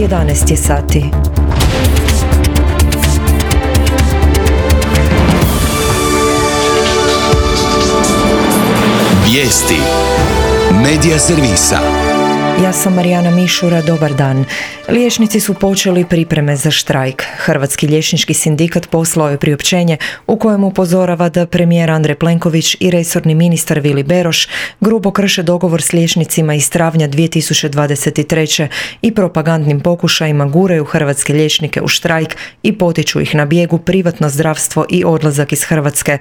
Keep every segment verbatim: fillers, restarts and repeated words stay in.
jedanaest je sati. Vijesti Medija servisa. Ja sam Marijana Mišura, dobar dan. Liječnici su počeli pripreme za štrajk. Hrvatski liječnički sindikat poslao je priopćenje u kojem upozorava da premijer Andrej Plenković i resorni ministar Vili Beroš grubo krše dogovor s liječnicima iz travnja dvije tisuće dvadeset treće i propagandnim pokušajima guraju hrvatske liječnike u štrajk i potiču ih na bijegu, privatno zdravstvo i odlazak iz Hrvatske.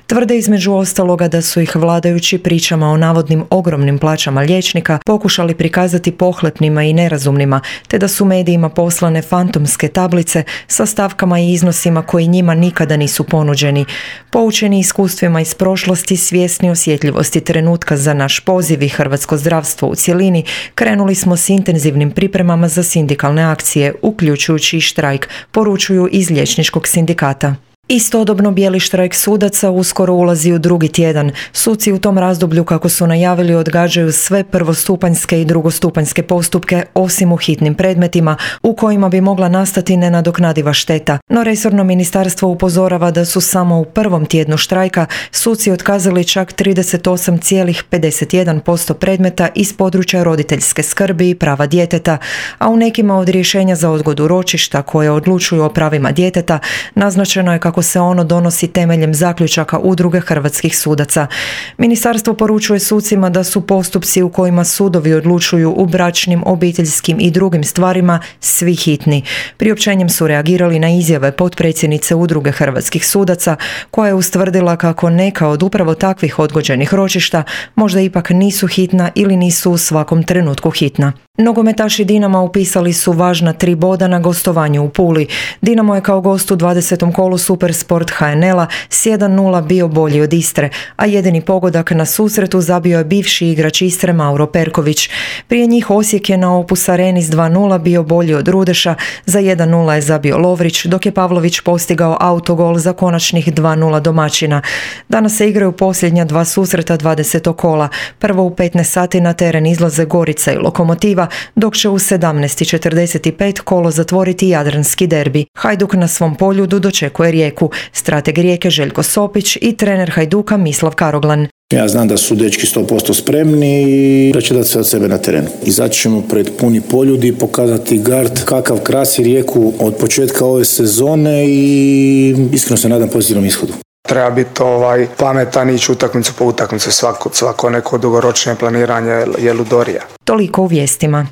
Tvrde između ostaloga da su ih vladajući pričama o navodnim ogromnim plaćama liječnika pokušali prikazati pohlepnima i nerazumnima, te da su medijima poslane fantomske tablice sa stavkama i iznosima koji njima nikada nisu ponuđeni. Poučeni iskustvima iz prošlosti, svjesni osjetljivosti trenutka za naš poziv i hrvatsko zdravstvo u cjelini, krenuli smo s intenzivnim pripremama za sindikalne akcije, uključujući i štrajk, poručuju iz liječničkog sindikata. Istodobno bijeli štrajk sudaca uskoro ulazi u drugi tjedan. Suci u tom razdoblju, kako su najavili, odgađaju sve prvostupanjske i drugostupanjske postupke, osim u hitnim predmetima u kojima bi mogla nastati nenadoknadiva šteta. No resorno ministarstvo upozorava da su samo u prvom tjednu štrajka suci otkazali čak trideset osam zarez pedeset jedan posto predmeta iz područja roditeljske skrbi i prava djeteta, a u nekima od rješenja za odgodu ročišta koje odlučuju o pravima djeteta naznačeno je kako se ono donosi temeljem zaključaka Udruge hrvatskih sudaca. Ministarstvo poručuje sucima da su postupci u kojima sudovi odlučuju u bračnim, obiteljskim i drugim stvarima svi hitni. Priopćenjem su reagirali na izjave potpredsjednice Udruge hrvatskih sudaca, koja je ustvrdila kako neka od upravo takvih odgođenih ročišta možda ipak nisu hitna ili nisu u svakom trenutku hitna. Nogometaši Dinama upisali su važna tri boda na gostovanju u Puli. Dinamo je kao gost u dvadesetom kolu Supersport ha en el-a s jedan nula bio bolji od Istre, a jedini pogodak na susretu zabio je bivši igrač Istre Mauro Perković. Prije njih Osijek je na Opus Areni s dva nula bio bolji od Rudeša, za jedan nula je zabio Lovrić, dok je Pavlović postigao autogol za konačnih dva nula domaćina. Danas se igraju posljednja dva susreta dvadesetog kola. Prvo u petnaest sati na teren izlaze Gorica i Lokomotiva, dok će u sedamnaest i četrdeset pet kolo zatvoriti jadranski derbi. Hajduk na svom poljudu dočekuje Rijeku. Strateg Rijeke Željko Sopić i trener Hajduka Mislav Karoglan. Ja znam da su dečki sto posto spremni i da će dati sve od sebe na terenu. Izaći ćemo pred puni poljudi i pokazati gard kakav krasi Rijeku od početka ove sezone i iskreno se nadam pozitivnom ishodu. Treba biti ovaj, pametan i ići utakmicu po utakmicu. Svako, svako neko dugoročnije planiranje je ludorija. Toliko u vijestima.